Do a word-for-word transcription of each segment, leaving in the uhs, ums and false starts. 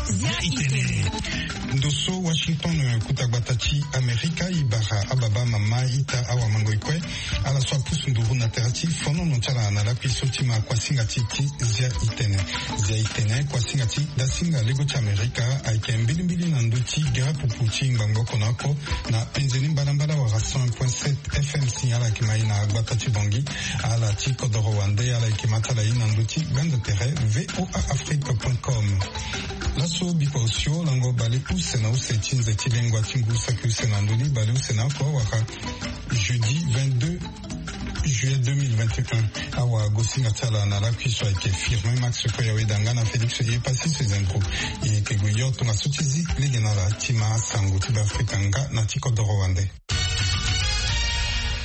Zia itene. Ndo so Washington, kuta gbata ti Amerika, e bara ababa, mama, ita, awamango, e kue, ala so apusu nduru na tere ti fonono ti ala na lakui so ti ma kuasinga ti ti Zia itene. Zia itene, kuasinga ti dasinga lego ti Amerika, ayeke mbilimbili na ndö ti gere pupu ti ngbangbo oko na oko na penze ni mbalambala wala cent point sept F M. Si ala yeke ma e na gbata ti Bangui, ala ti kodoro wande, ala yeke ma ti ala e na ndö ti gbanda tere V O A Afrique point com. Laso bikua osio lango bale use na use ti nze ti lengua ti ngu saki use na ndö ni bale use na oko wala jeudi vingt-deux juillet deux mille vingt et un. Awagosinga ti ala na lakui so ayeke Firmin Max Koyaweda nga na Félix Yepassis Zendro. E yeke gue yo tongaso ti zi lege na ala ti ma sango ti Beafrika nga na ti kodoro wande.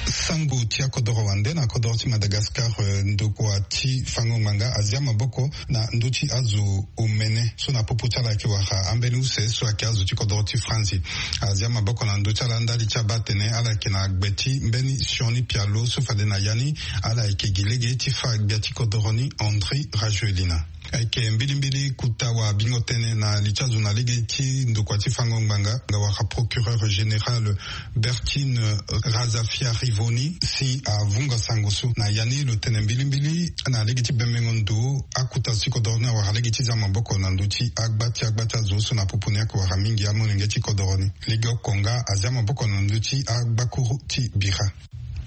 Sango ti akodoro wande na kodoro ti Madagascar, eh, ndokua ti fango ngbanga azia maboko na ndö ti azo omene so na popo ti ala ayeke wara ambeni use so ayeke azo ti kodoro ti Franzi. Azia maboko na ndö ti ala ndali ti abaa atene ala yeke na gbe ti mbeni sioni pialo so fade na ya ni ala yeke gi lege ti fa gbia ti kodoro ni André Rajoelina. Ayeke mbilimbili kuta wabingo tënë na li ti azo na lege ti ndokua ti fango ngbanga nga wara procureur général Bertine Razafiarivoni si avunga sango so. Na ya ni lo tene mbilimbili na lege ti bembengo ndo akuta azo ti kodoro ni awara lege ti za maboko na ndö ti agba ti agba ti azo so na popo ni ayeke wara mingi amolenge ti kodoro ni. Lege oko nga azia maboko na ndö ti agbakuru ti bira.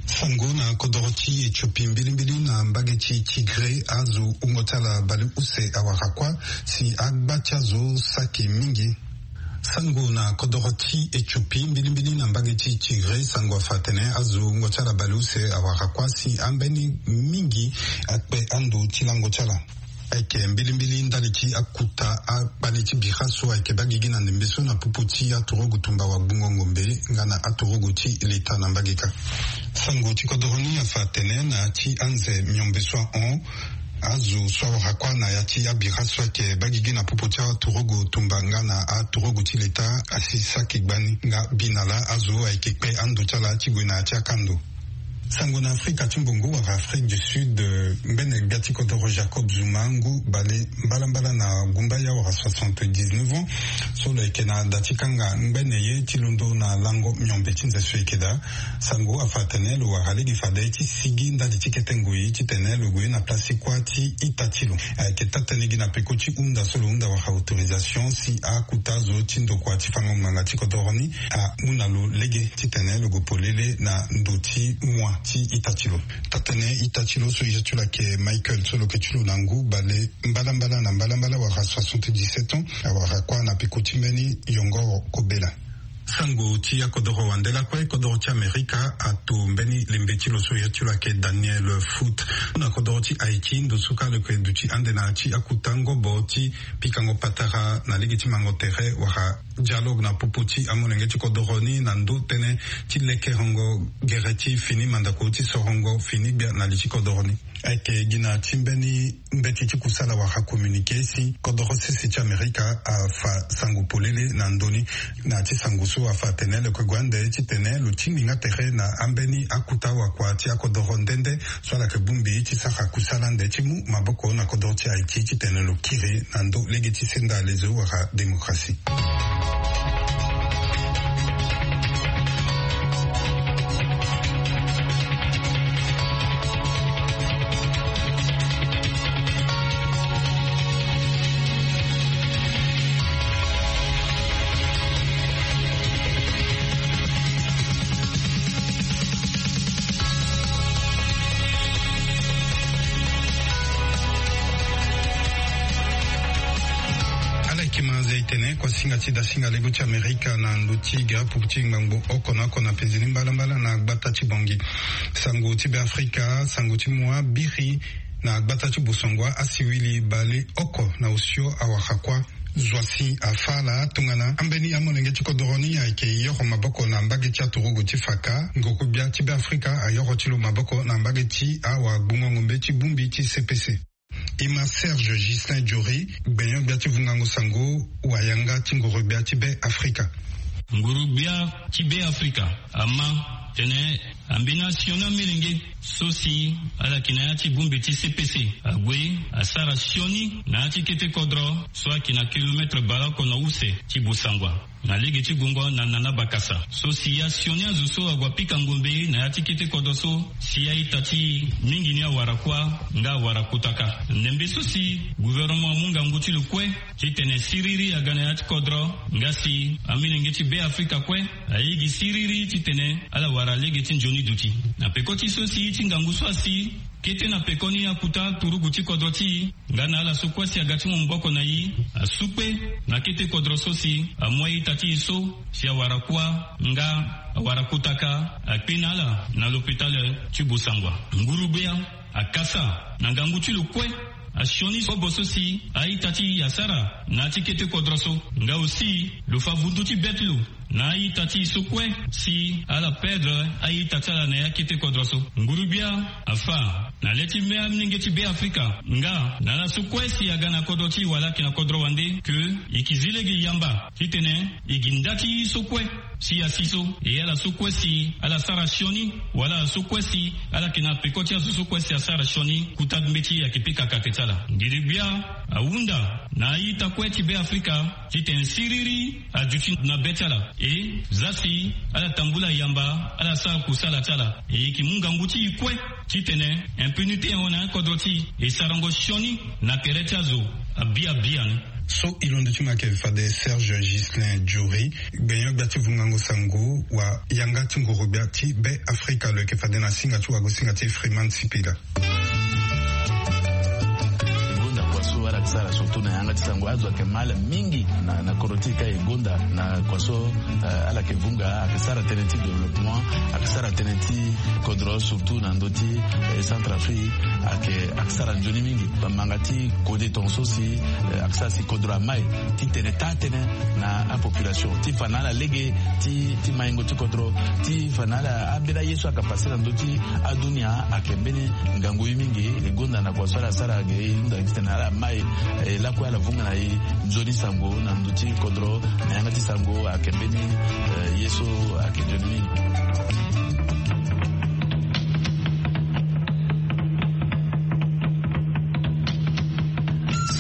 Sango na kodoro ti Ethiopie mbilimbili na mbage ti Tigré, azo wungo ti ala baleuse awara kuâ si agba ti azo saki mingi. Sango na kodoro ti Ethiopie mbilimbili na mbage ti Tigré, sango afa atene azo wungo ti ala baleuse awara kuâ si ambeni mingi akpe ando ti lango ti ala. Ayeke mbilimbili ndali ti akuta akpale ti bira so ayeke baa gigi na ndembe so na popo ti aturugu tumba wagbungo ngombe nga na aturugu ti leta na mbage kâ. Sango ti kodoro ni afa atene na ya ti anze miombe so ahon, azo so awara kuâ na ya ti abira so ayeke baa gigi na popo ti aturugu tumba nga na aturugu ti leta asi saki gbani nga bi na lâ azo ayeke kpe ando ti ala ti gue na ya ti akando. Sango na Afrika ti mbongo wala Afrique du Sud, eh, ngbene gbia ti kodoro Jacob Zuma ngu bale mbalambala na gumbaya wala soixante-dix-neuf ans so lo yeke na da ti kanga ngbene ye ti londo na lango miombe ti nze so e yeke daa. Sango afa atene lo wara lege fade ti sigi ndali ti kete ngoi titene lo gue na place ti kuâ ti ita ti lo. Ayeke taa-tënë gi na peko ti hunda so lo hunda wala autorisation si akuta zo ti ndokua ti fango ngbanga ti kodoro ni amu na lo lege titene lo gue polele na ndo ti mua ti ita ti lo. Taa-tënë ita ti lo so e ya ti lo ayeke Michael so lo yeke ti lo na ngu bale mbalambala na mbalambala wala soixante-dix-sept ans awara kuâ na peko ti mbeni yongoro kobela. Sango ti akodoro wande lakue, kodoro ti Amerika ato mbeni lembe ti lo so e ya ti lo ayeke Daniel Foot. Na kodoro ti Haïti, ndo so kâ lo yeke duti ande na ya ti akuta ngobo ti pikango patara na lege ti mango tere wala dialogue na popo ti amolenge ti kodoro ni na ndo tënë ti lekerengo gere ti fini mandako ti sorongo fini gbia na li ti kodoro ni. Ayeke gi na ti mbeni mbeti ti kusala wala communiqué si kodoro sese ti Amerika afa sango polele na ndö ni. Na ya ti sango so afa atene lo yeke gue ande titene lo tingbi nga tere na ambeni akuta wakua ti akodoro nde nde so ala yeke bongbi ti sara kusala ande ti mu maboko na kodoro ti Haïti titene lo kiri na ndö lege ti senda lezo wala démocratie. Ala yeke ma Zia itene, kuasinga ti dasinga lego ti Amerika na ndo ti gere pupu ti ngbangbo oko na oko na penze ni mbalambala na gbata ti Bangui. Sango ti Beafrika, sango ti mua biri na gbata ti Bosongoa, asiwili baleoko na osio awara kuâ. Zo asi afa ala tongana ambeni amolenge ti kodoro ni ayeke yoro maboko na mbage ti aturugu ti faka. Nguru-gbia ti Beafrika ayoro ti lo maboko na mbage ti awagbungo ngombe ti bongbi ti C P C. E ma Serge Ghislain Diori, gbenyo-gbia ti vungango sango, wayanga ti nguru-gbia ti Beafrika. Nguru-gbia ti Beafrika ama tene Ambeni asioni amilenge so si ala yeke na ya ti bongbi ti C P C ague asara sioni na ya ti kete kodro so ayeke na kilometre baleoko na use ti Bossangoa, na lege ti gongo na Nana Bakasa, so si asioni azo so ague apika ngombe na ya ti kete kodro so si a-ita ti mingi ni awara kuâ nga awara kotaka. Ndembe so si gouvernement amu ngangu ti lo kue titene siriri aga na ya ti kodro nga si amilenge ti Beafrika kue aye gi siriri titene ala wara lege ti nzoni duti. Na peko ti so si ti ngangu so asi kete na peko ni akuta turugu ti kodro ti e nga na ala so kue si aga ti mu maboko na e asu kue na kete kodro so si amu a-ita ti e so si awara kuâ nga awara kotaka akpe na ala na lopitale ti Bossangoa. Nguru-gbia akasa na ngangu ti lo kue asioni kobo so si a-ita ti e asara na ya ti kete kodro so. Nga aussi lo fa vundu ti be ti lo na a-ita ti e so kue si ala perdre a-ita ti ala na ya kete kodro so. Nguru-gbia afa na le ti me amolenge ti Beafrika nga na ala so kue si aga na kodro ti e wala ayeke na kodro wande ke e yeke zi lege yamba titene e gi nda ti e so kue si asi so, e ala so kue si ala sara sioni wala ala so kue si ala yeke na peko ti azo so kue si asara sioni, kota mbeti ayeke pika kate ti ala. Nguru-gbia ahunda na a-ita kue ti Beafrika titene siriri aduti na be ti ala. E za si ala tambula yamba, ala sara kusala ti ala. E yeke mu ngangu ti e kue titene impunité ahon na kodro ti e, e sarango sioni na tere ti azo abia abia ni. So e londo ti mo ayeke fade Serge Ghislain Diouri, gbenyo-gbia ti vungango sango wa yanga ti nguru-gbia ti Beafrika, lo yeke fade na singa ti wagosinga ti Freeman Sipila. E gonda kua so ala yeke sara surtout na yanga ti sango, azo ayeke mal mingi na, na kodro ti e ka e gonda na kua so, eh, ala yeke vunga, ayeke sara tënë ti développement, ayeke sara tënë ti kodro surtout na ndö ti, eh, Centrafrique, ayeke, ayeke sara nzoni mingi. Bamanga ti kode tongaso si, eh, ayeke sara si kodro amai ti tene taa tënë na apopulation ti fa na ala lege ti, ti maingo ti kodro, ti fa na ala ambeni aye so ayeke pase na ndö ti adunia ayeke mbeni ngangu ye mingi. E gonda na kua so ala sara ge, e hunda titene ala mai, eh, lakue ala vunga na e nzoni sango na ndö ti kodro na yanga ti sango ayeke mbeni, eh, ye so ayeke nzoni mingi.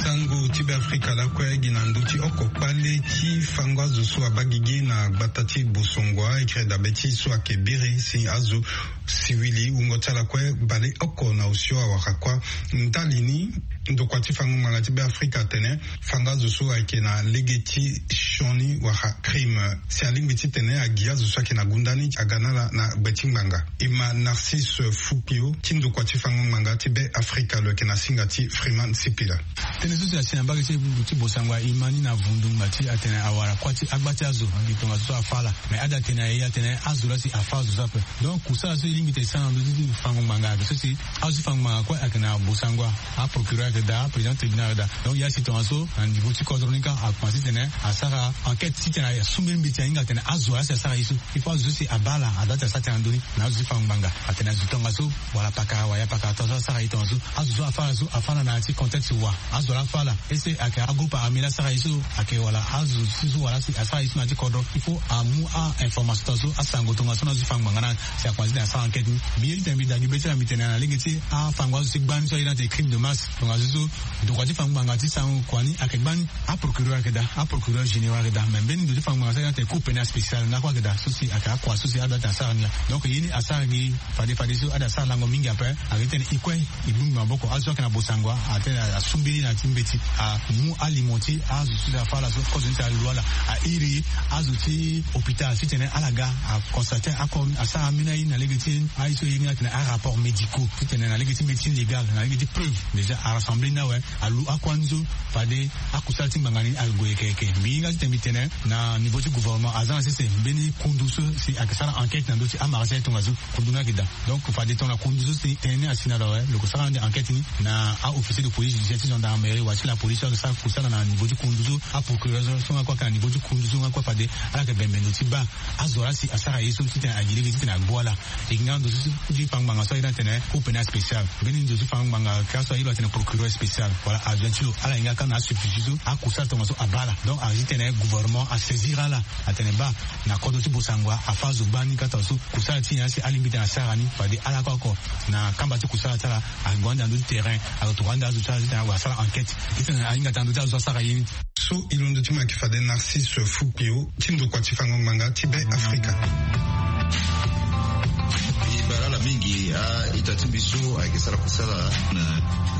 Sango ti Beafrika lakue gi na ndö ti oko kpale ti fango azo so abaa gigi na gbata ti Bossangoa, e kiri dabe ti so ayeke biri si azo siwili wungo ti ala kue baleoko na osio awara kuâ. Ndali ni, ndokua ti fango ngbanga ti Beafrika atene fango azo so ayeke na lege ti sioni wala crime, si alingbi titene agi azo so ayeke na gunda ni aga na ala na gbe ti ngbanga. E ma Narcisse Fukio ti ndokua ti fango ngbanga ti Beafrika, lo yeke na singa ti Freeman Sipila. Tënë so si asi na mbage ti, ti Bossangoa, e ma ni na vundu ngba ti atene awara kuâ ti agba ti azo, tongaso so afa ala. Mais ada tene na e atene azo laa si afa azo so ape. Donc kusala so e lingbi tene e sara na ndö ti fango ngbanga ayeke so si azo ti fango ngbanga kue ayeke na Bossangoa. Aprocureur ayeke daa, président tribunal ayeke daa. Donc ya si tongaso na niveau ti kodro ni kâ akomanse titene asara enquête titene asu mbeni mbeti ahinga atene azo laa si asara ye so. Il faut azo so si abaa ala, adoit ti asara tënë na ndö ni. Na azo ti fango ngbanga atene azo tongaso wala pakara wala ya pakara tongaso asara ye tongaso. Azo so afa ala so afa ala na ya ti contexte wa. Azo laa afa ala, est-ce que ayeke agroupe armé laa asara ye so? Ayeke wala azo ti so wala si asara ye so na ya ti kodro? Il faut amu a-information tongaso, asango tongaso na azo ti fango ngbanga ni si akomanse titene asara enquête ni. Mbi ye titene mbi daa gi be ti ala, mbi tene na lege ti afango azo ti gbani so aye ni atene crime de masse. Tongaso so ndokua ti fango ngbanga ti sango kua ni ayeke gbani. Aprocureur ayeke daa, aprocureur général ayeke daa, mais mbeni ndo ti fango ngbanga so aye ni atene cour pénale spéciale ni lakue ayeke daa, so si ayeke akua so si adoit titene asara ni laa. Donc ye ni asara gi fade, fadeso ada sara lango mingi ape. Ayeke titene e kue e bongbi maboko. Azo so ayeke na Bossangoa atene asu mbeni na ya ti mbeti, amu alimo ti azo so si afa ala so, kozo ni si alu ala, a iri azo ti hôpital titene ala ga, a constate ako, asara ambeni aye ni na lege ti aye so e iri ni atene arapport médicaux, titene na lege ti médecine légale, na lege ti preuve déjà arassembler ni awe. Alu akua ni so fade akusala ti ngbanga ni ague yeke yeke. Mbi hinga titene mbi tene na niveau ti gouvernement aza na sese mbeni kundu so si ayeke sara enquête na ndö ti amarché tongaso. Kundu ni ayeke daa. Donc fade tongana kundu so si tënë ni asi na lo awe, lo yeke sara ande enquête ni na a-officier de police judiciaire ti gendarme. Wala ti la polisi so ayeke sara kusala na niveau ti kundu so, aprocureur so nga kue ayeke na niveau ti kundu so nga kue fade ala yeke bembe ndo ti baa azo laa si asara ye so titene agi lege titene agbu ala. E nga ndo so ti fango ngbanga so ayeke titene cour pénale spéciale, mbeni ndo so ti fango ngbanga kâ so ayeke titene procureur spéciale wala adjoint ti lo, ala yeke nga kâ na asubstitut so akusala tongaso abaa ala. Donc ayeke titene gouvernement asaisir ala atene baa na kodro ti bosangoa afa azo gbani kâ tongaso kusala ti nyen asi alingbi titene asara ni fade ala kue oko na kamba ti kusala ti ala ague ande na ndö ti terrain, ague tokua ande azo ti ala titene ague asara enquête titene ahinga titene ndö ti azo asara ye ni. So e londo ti mo ayeke fade Narcisse Fukio ti ndokua ti fango ngbanga ti Be Afrika. E bara ala mingi a-ita ti mbi so ayeke sara kusala na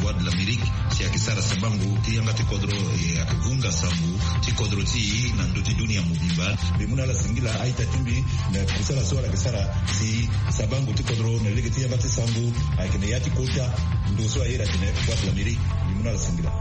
Voix de l'Amérique si ayeke sara sabango ti yanga ti kodro, e ayeke vunga sango ti kodro ti e na ndö ti dunia mobimba. Mbi mu na ala singila a-ita ti mbi na kusala so ala yeke sara si sabango ti kodro na lege ti yanga ti sango ayeke na ya ti kota ndo so aye atene Voix de l'Amérique. Mbi mu na ala singila.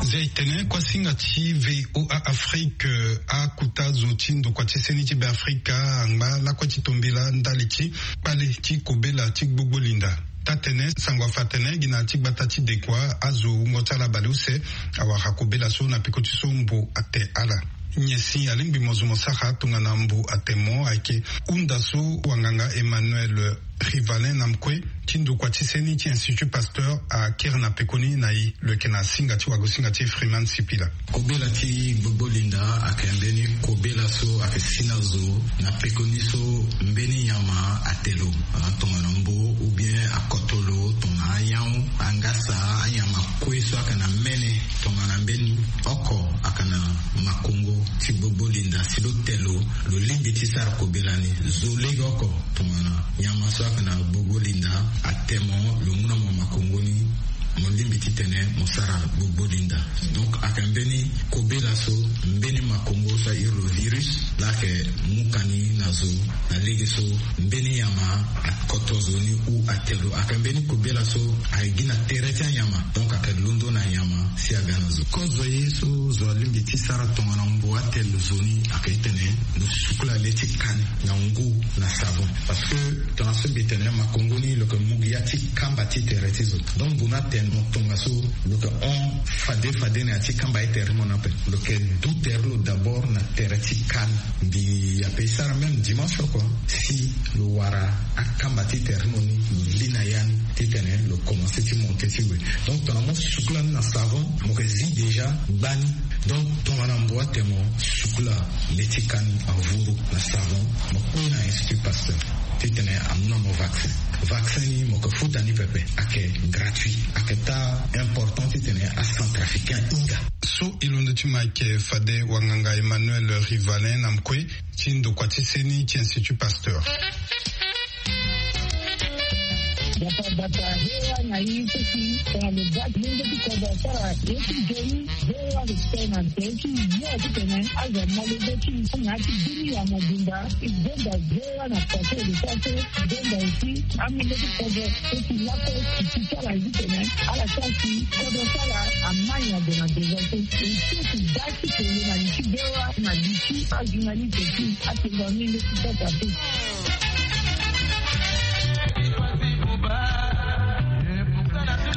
Zia e tene kuasinga ti V O A Afrique, akota zo ti ndokua ti seni ti Be Afrika angba lakue ti tombela ndali ti kpale ti kobela ti gbogbo linda. Taa-tene sango afa atene gi na ya ti gbata ti Dekoa azo wungo ti ala baleuse awara kobela so na peko ti so mbo ate ala. Nyen si alingbi mo zo mo sara tongana mbo ate mo ayeke hunda so wanganga Emmanuel Rivalin na mkue ti ndokua ti seni ti Institut Pasteur akiri na pekoni na e. Lo yeke na singa ti wagosinga ti Freeman Sipila. Kobela ti gbogbo linda ayeke mbeni kobela so ayeke si na zo na pekoni so mbeni nyama ate lo, tongana mbo ou bien akoto lo tongana anyau, angasa, anyama kue so ayeke na mene tongana mbeni oko ayeke na makongo ti gbogbo linda si lo te lo, lo lingbi ti sara kobela ni. Zo lege oko tongana nyama so ayeke na gbogbo linda ate mo, lo mu na mo makongo ni, mo lingbi titene mo sara gbogbo linda. Donc ayeke mbeni kobela so, mbeni makongo so a iri lo virus laa ayeke mu ka ni na zo na lege so mbeni nyama akoto zo ni ou ate lo. Ayeke mbeni kobela so ayeke gi na tere ti anyama, donc ayeke londo na nyama si aga na zo. Kozo ye so zo alingbi ti sara tongana mbo ate lo zo ni ayeke titene lo sukula le ti ka ni na ngu na savon. Parce que tongana so mbi tene makongo ni lo yeke mu gi ya ti kamba ti tere ti zo. Donc mbo na tene mo tongaso lo yeke hon fade fade na ya ti kamba ti tere ti mo ni ape. Lo yeke du tere ti lo d'abord na tere ti ka ni. Mbi ape e sara même dimanche oko si lo wara akamba ti tere ti mo ni lo li na ya ni titene lo commence ti monte ti gue. Donc tongana mo sukula ni na savon mo yeke zi déjà gbani. Donc tongana mbo ate mo sukula le ti ka ni avuru na savon, mo kpe na Institut Pasteur titene amu na mo vaccin. Vaccin ni mo yeke futa ni pepe, ayeke gratuit. Ayeke taa important titene acentrafricain ahinga. So e londo ti mo ayeke fade wanganga Emmanuel Rivalin na mkue ti ndokua ti seni ti Institut Pasteur. Bata bata, V O A na i so si tongana lo ga ti lenge ti kodro asara ye ti nzoni. V O A respect na nzoni ti yo titene azo amolenge ti na ya ti bini ya mobimba. I zonza V O A na façon de façon zonza aussi amolenge ti kodro so si lakue ti ti ti ala ye titene ala sara si kodro ti ala amai na gue na devant so. E so si ga ti tene na li ti V O A na li ti ajournaliste ti atengo amolenge ti kodro ape.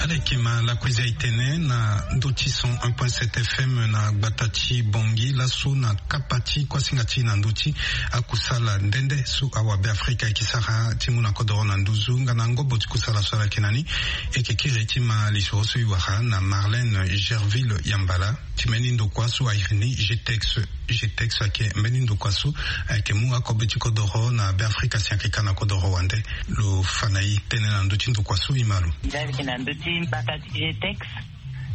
Ala yeke ma lakue zia e tene na ndö ti cent un point sept F M na gbata ti Bangui laso na kapa ti kuasinga ti e na ndö ti akusala nde nde so awabe Afrika ayeke sara ti mu na kodoro na nduzu nga na ngobo ti kusala so ala yeke na ni. E yeke kiri ti ma lisoro so e wara na Marlène Gerville Yambala. Ti mbeni ndokua so a iri ni G T E X. G T E X ayeke mbeni ndokua so ayeke mu akobe ti kodoro na Beafrika si ayeke ka na kodoro wande. Lo fa na e tënë na ndö ti ndokua so e ma lo. Nzia ayeke na ndö ti mbata ti G T E X.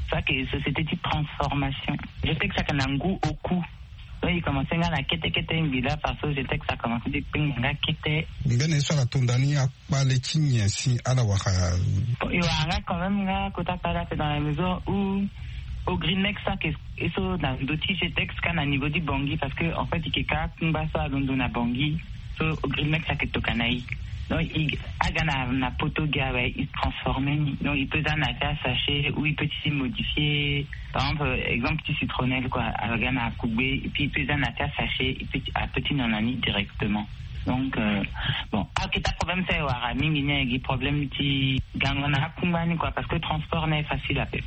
So ayeke société ti transformation. G T E X ayeke na ngu oku. Donc e commencé nga na kete kete ngbi laa parce que G T E X a commencé ti kpengba nga kete. Mbeni ye so ala tonda ni akpale ti nyen si ala wara? Bon, e wara nga quand même nga kota kpale ape dans la mesure où Ogrimex so ayeke e so na ndo ti G T E X ka na niveau ti Bangui parce que en fait e yeke ka kungba so alondo na Bangui. So Ogrimex ayeke toka na e. Donc e aga na poto gi awe e transformé ni. Donc e peut za na ya ti asachet ou e peut ti modifié. Par exemple, exemple ti citronnelle quoi, aga na kugbe et puis e peut za na ya ti asachet, e peut ti a peut ti nyon na ni directement. Donc, bon, akita problème so e wara mingi ni ayeke gi problème ti gango na akungba ni kua parce que transport ni aye facile ape.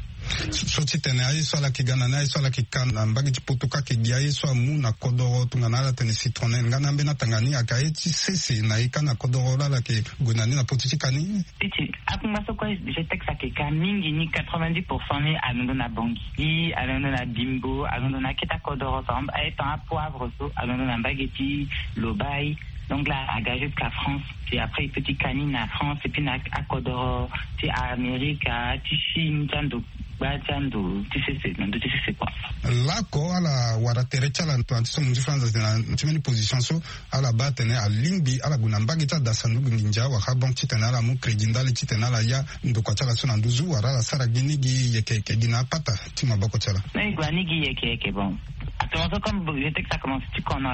So titene aye so ala yeke ga na ni aye so ala yeke ka na mbage ti poto ka ayeke gi aye so amu na kodoro tongana ala tene citronel nga na ambeni atanga ni ayeke aye ti sese na ye ka na kodoro laa ala yeke gue na ni na pote ti ka ni. Ti ti akungba so kue je texte ayeke ka mingi ni quatre-vingt-dix pour cent ni alondo na bongi, alondo na bimbo, alondo na akete akodoro par exemple aye tan apoivre so alondo na mbage ti lobai. Donc laa aga jusqu'à France. Ti après e peut ti ka ni na France et puis na akodoro ti amerika ti chine ti ando gba ti ando ti sese na ndo ti sese kua. Laoko ala wara tere ti ala na ti so mo nzi franza na ti mbeni position so ala baa atene alingbi ala gue na mbage ti adasa ndugu nginza wala banque titene ala mu crédit ndali titene ala ya ndokua ti ala so na nduzu wala ala sara gi ni gi yeke yeke gi na apata ti maboko ti ala. Mais e gue ani gi yeke yeke bon. Actuellement so comme je texte a commence ti kono,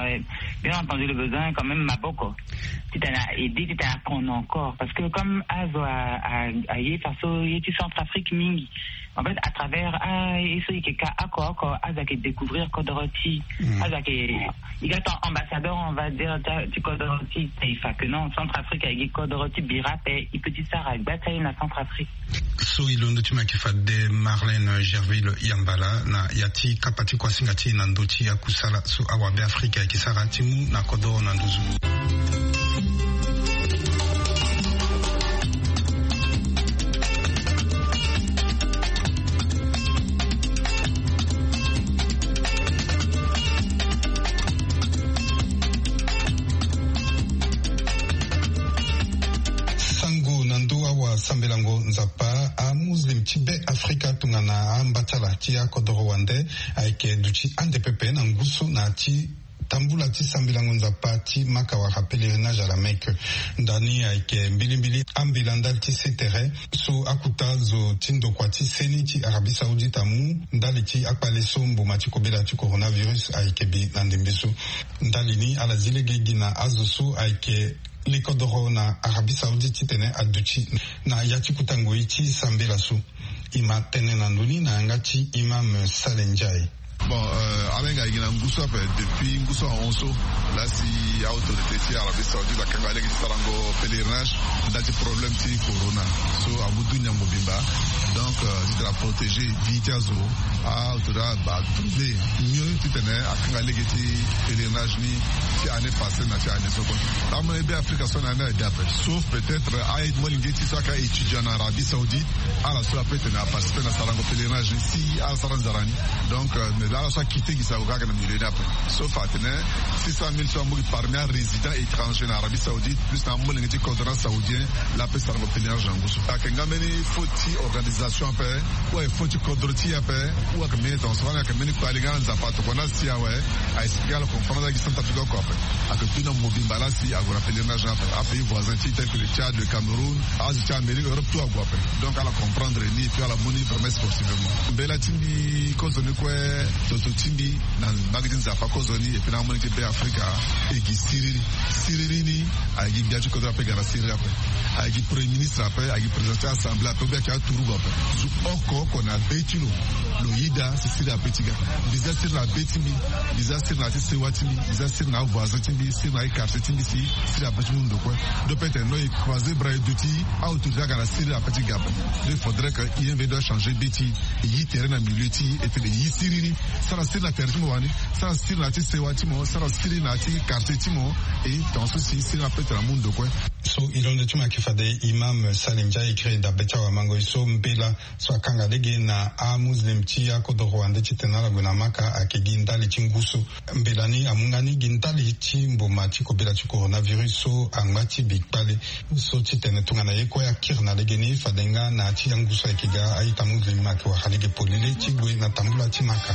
bien entendu le besoin quand même maboko titene a aide titene akono encore parce que comme azo aye faso ye ti centre afrique mingi. En fait à travers aye so e yeke ka oko oko azo ayeke découvrir kodoro ti azo ayeke e ga ton ambassadeur on va dire ti kodoro ti taifa que non centre afrique ayeke gi kodoro ti bira ape e peut ti sara gba ti aye na centre afrique. So e londo ti me ayeke fade marlene gerville yambala na ya ti kapa ti kuasinga ti e na ndö ti akusala so awabe afrika ayeke sara ti mu na kodoro na nduzu. Sango na ndö awa sambelango nzapa amuslim ti be afrika tongana amba ti ala ti akodoro wande ayeke duti ande pepe na ngu so na ti tambula ti sambelango nzapa ti maka wala pèlerinage à la mecque. Ndani ayeke mbilimbili ambela ndali ti se tere so akuta zo ti ndokua ti seni ti arabie saoudite amu ndali ti akpale so mboma ti kobela ti coronavirus ayeke bi na ndembe so. Ndali ni ala zi lege gi na azo so ayeke lekodoro na arabie saoudite titene aduti na ya ti kuta ngoi ti sambela so. E ma tene na ndoni na yanga ti imam sale ndiaye. Bon, ala hinga gi na ngu so ape depuis ngu so ahon so lasi autorité ti arabie saoudite akanga lege ti sarango pèlerinage. Nda ti problème ti corona so amu dunia mobimba. Donc titene aprotégé vie ti azo. Autorité abatrouve mieux titene akanga lege ti pèlerinage ni ti année passée na ti année so kue. Amolenge be afrika so na ni ade ape sauf peut-être aye molenge ti so aka étudiant na arabie saoudite. Ala so ape tene aparticipe na sarango pèlerinage ni si ala sara nzara ni. Donc mais ala so akite gi sarango kaka na milieu ni ape. So fa atene six cent mille so amu gi parmi arésident étranger na arabie saoudite plus na amolenge ti kodro na saoudien. Laa ape sarango pèlerinage na ngu so ayeke nga mbeni faute ti organisation ape ou ayeke faute ti kodro ti e ape. Ou ayeke mbeni tonso wala ayeke mbeni kpali nga na nzapa tokua na si awe. Aexplike ala comprendre agi centre afrique oko ape. Ayeke tuna mobimba lasi ague na pèlerinage ni ape apays voisin ti tel que le tchad le cameroun. Azo ti amérique europe tout ague ape. Donc ala comprendre ni et puis ala mu ni vraiment sportivement mbela ti mbi kozoni kue. Toto ti mbi na mbage ti nzapa kozoni et puis na amolenge ti be afrika. E gi siriri siriri ni. Aye gi gbia ti kodro ape ga na siriri ape. Aye gi premier ministre ape aye gi président ti assemblée ape ou bien ayeke aturugu ape. Zo oko oko na be ti lo lo yeda si siriri ape ti ga. Mbi za siriri na be ti mbi. Mbi za siriri na ya ti sewa ti mbi. Mbi za siriri na avoisin ti mbi siriri na aye quartier ti mbi si siriri ape ti mu ndo kue. Donc peut-être non e croiser bras e duti. Autorité aga na siriri ape ti ga ape. Donc il faudrait que imv doit changer be ti e yi tere na milieu ti e ete lo e yi siriri. Sara siriri na tere ti mo wani. Sara siriri na ya ti sewa ti mo sara siriri na ya ti quartier ti mo. E tonga so si siriri ape tena mu ndo kue. So e londo ti mo ayeke fade imam sale ndiaye e kiri dabe ti awamango e so mbela so akanga lege na amuslim ti akodoro wande titene ala gue na maka ayeke gi ndali ti ngu so. Mbela ni amu nga ni gi ndali ti mboma ti kobela ti coronavirus so angba ti bi kpale. So titene tongana ye kue akiri na legeni fade nga na ya ti angu so ayeke ga a-ita muslim ayeke wara lege polele ti gue na tambula ti maka.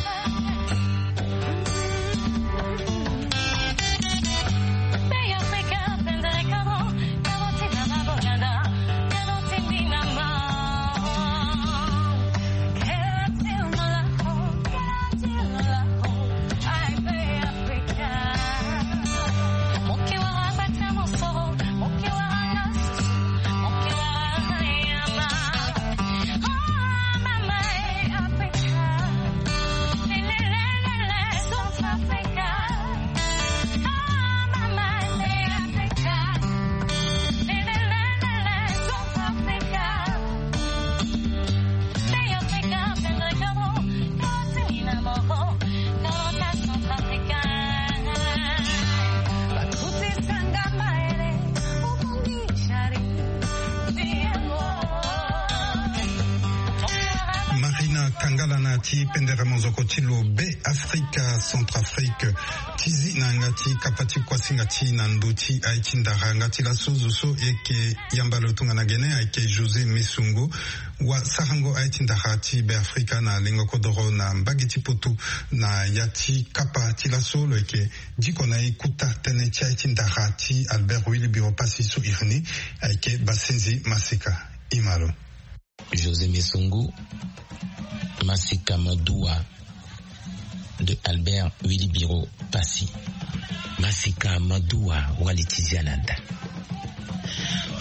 Ti pendere mozoko ti lo Be Afrika, Centrafrique, ti zi na yanga ti kapa ti kuasinga ti na ndo ti aye ti ndara. Yanga ti laso zo so e yeke yamba lo tongana gene ayeke José Mesongo, wasarango aye ti ndara ti Be Afrika na lengo kodoro na mbage ti poto. Na ya ti kapa ti laso lo yeke diko na e kuta tënë ti aye ti ndara ti Albert Willy Biro Passy so iri ni. Ayeke Basenzi Masika. Ima lo. José Mesongo, Masika Madua de Albert Willy Biro Passy. Masika Madua, wali ti zia na da.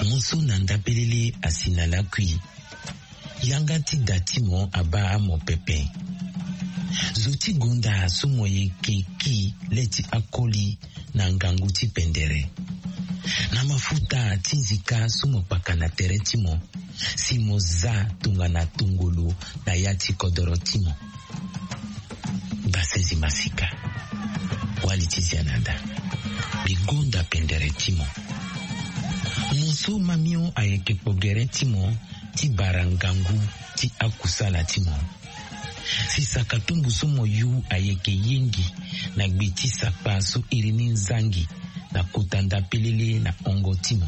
Mo so na nda pelele asi na lakui. Yanga ti da ti mo abaa mo pepe. Zo ti gonda so mo yeke ki le ti akoli na ngangu ti pendere. Na mafuta ti nzika so mo kpaka na tere ti mo, si mo za tongana tongolo na ya ti kodoro ti mo. Basenzi Masika, wali ti zia na da. Mbi gonda pendere ti mo. Mo so mamio ayeke kpo gere ti mo ti bara ngangu ti akusala ti mo. Si saka tumbu so mo yu ayeke yengi na gbe ti sakpa so iri ni nzangi na kota nda pelele na hongo ti mo.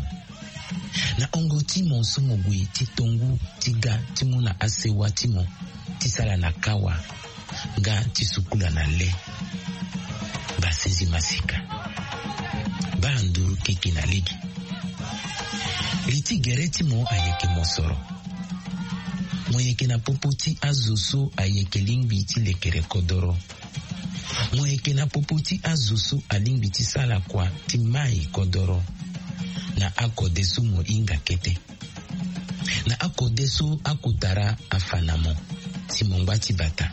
Na hongo ti mo so mo gue ti tongu ti ga ti mu na asewa ti mo ti sala na kawa nga ti sukula na le. Basenzi Masika, baa nduru keke na lege. Li ti gere ti mo ayeke mosoro. Mo yeke na popo ti azo so ayeke lingbi ti lekere kodoro. Mo yeke na popo ti azo so alingbi ti sala kua ti mai kodoro. Na akode so mo hinga kete. Na akode so akotara afa na mo, si mo ngba ti bata.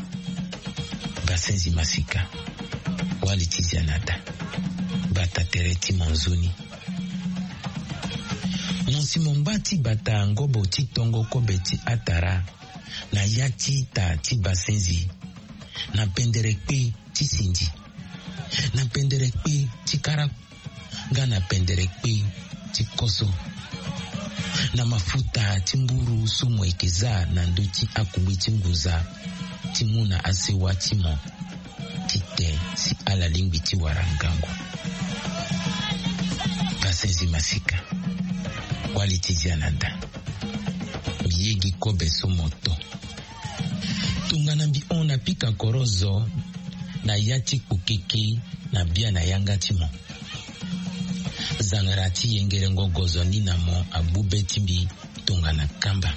Basenzi Masika, wali ti zia na da. Bata tere ti mo nzoni. Mo si mo ngba ti bata ngobo ti tongo kobe ti atara, na ya ti ita ti Basenzi, na pendere kpe ti sindi, na pendere kpe ti kara, nga na pendere kpe ti koso, na mafuta ti mburu so mo yeke za na ndö ti akungbi ti ngunza, ti mu na asewa ti mo. Ti te si ala lingbi ti wara ngangu. Basenzi Masika, wali ti zia na da. Mbi yegi kobe so mo to. Tongana mbi hon na pika koro zo na ya ti kpokeke na bia na yanga ti mo. Zangara ti yengerengo gozo ni na mo agbu be ti mbi tongana kamba.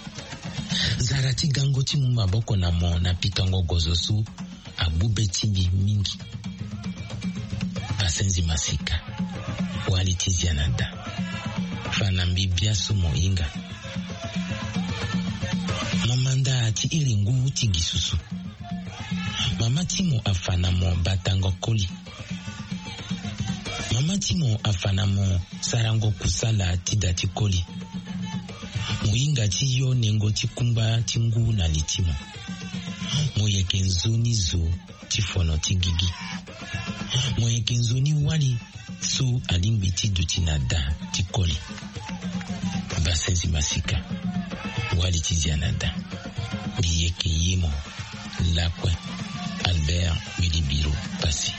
Zara ti gango ti mu maboko na mo na pikango gozo so agbu be ti mbi mingi. Basenzi Masika, wali ti zia na da. Fa na mbi bia so mo hinga. Mo manda ti iri ngu ti gi susu. Mama ti mo afa na mo batango koli. Mama ti mo afa na mo sarango kusala ti da ti koli. Mo hinga ti yo nengo ti kungba ti ngu na li ti mo. Mo yeke nzoni zo ti fono ti gigi. Mo yeke nzoni wali so alingbi ti duti na da ti koli. Basenzi Masika, wali ti zia na da. Mbi yeke ye mo. Lakue. Albert Willy Biro Passy.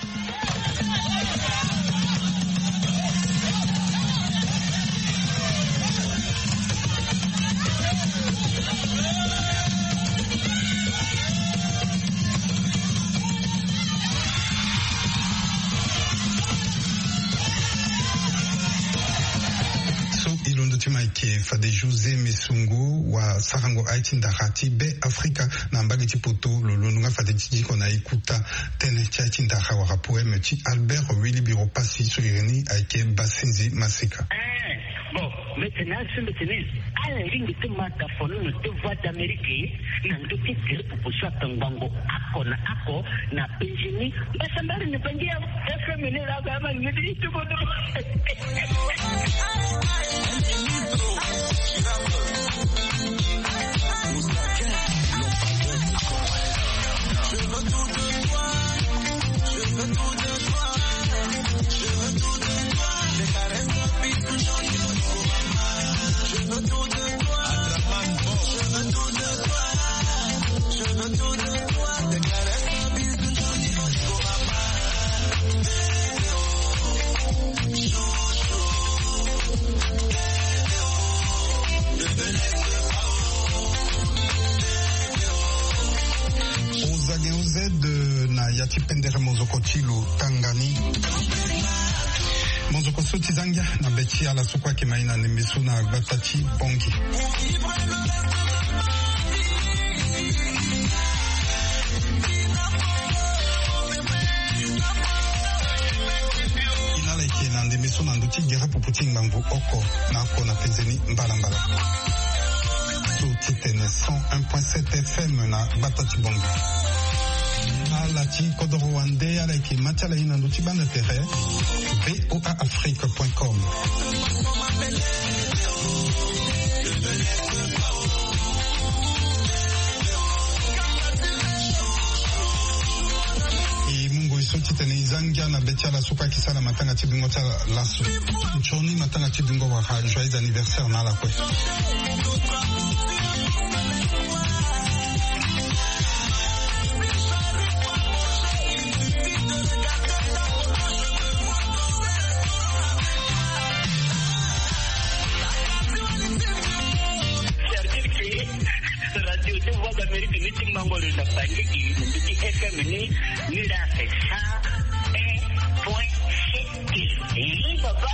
So e londo ti ma ayeke fade José Mesongo, wasarango aye ti ndara ti Be Afrika na mbage ti poto. Lo londo nga fade ti diko na e kuta tënë ti aye ti ndara wala poème ti Albert Willy Biro Passy so iri ni ayeke Basenzi Masika. Eh, bon, maintenant, ce matin, ala lingbi ti ma tafono na deux voix d'Amérique, na ndö ti gere popo so ata ngbongo ako na ako na Benjamin. Mbasambari ni bangi ya F M ni la ba ma ngedi ti bodo. Z na ya ti pendere mozoko ti lo tanga ni. Mozoko so ti zangia na be ti ala so kue ayeke ma e na ndembe so na gbata ti Bongi. Ina ala yeke na ndembe so na ndö ti gere pupu ti ngbangbo oko na oko na penze ni mbalambala. So ti tene cent un point sept F M na gbata ti Bongi. Ala ti kodoro wande ala yeke ma ti ala ye na ndö ti gbanda tere. V O A Afrique point com. E mungo e so titene e za ngia na be ti ala so kue ayeke sara na matanga ti bingo ti ala laso. Nzoni matanga ti bingo wala joyeux anniversaire na ala kue. Service radio ti Voix d'Amérique ni ti mango lo na Bandiki na ndö ti F M ni, ni la fait cent un point sept. Eh, papa.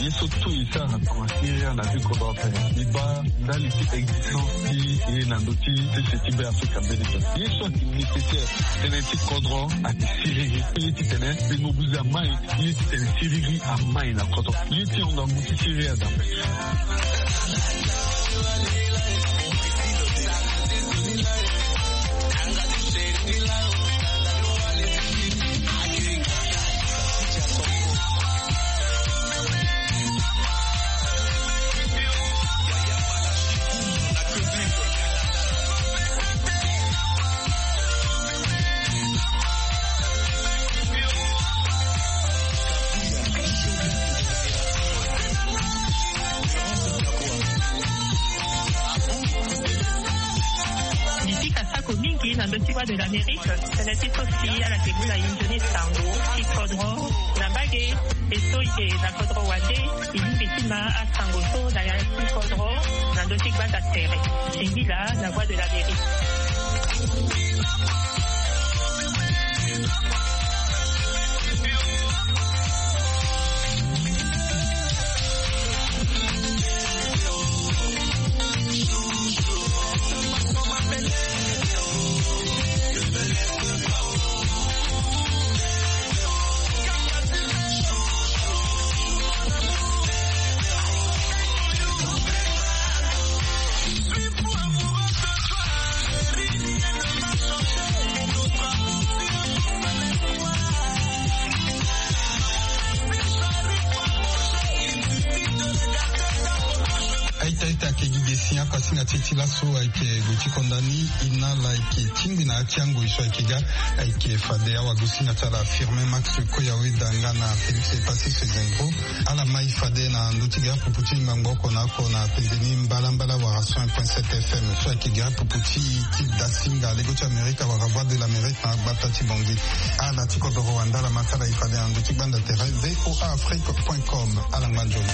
Ye so tout e sara na tanga siriri na vie kodro ape. E baa ndali ti existence ti e na ndö ti sese ti Be Afrika mbeni so. Ye so ayeke nécessaire tënë ti kodro ayeke siriri. Ye titene mbi mobilize amai. Ye titene siriri amai na kodro. Ye ti hunda ngu ti siriri aza. Mbi pika sako mingi na ndö ti Voix de l'Amérique, tënë ti so si ala yeke mu na e nzoni sango ti kodro na mbage. E so e yeke na kodro wande, e lingbi ti ma asango so na ya ti kodro na ndö ti gbanda tere. Singila na Voix de l'Amérique. Aita aita, ayeke gi ge si ako asinga ti e ti laso ayeke gue ti konda ni. Ina ala yeke tingbi na ya ti angoi so ayeke ga. Ayeke fade awagosinga ti ala Firmin Max Koyaweda nga na Félix Epassis Zengo. Ala ma e fade na ndö ti gere pupu ti ngbangbo oko na oko na penze ni mbalambala wala cent un point sept F M so ayeke gere pupu ti e ti dasinga lego ti Amerika wala Voix de l'Amérique na gbata ti Bongi. Ala ti kodoro wande ala ma ti ala e fade na ndö ti gbanda tere V O A Afrique point com. Ala ngba nzoni.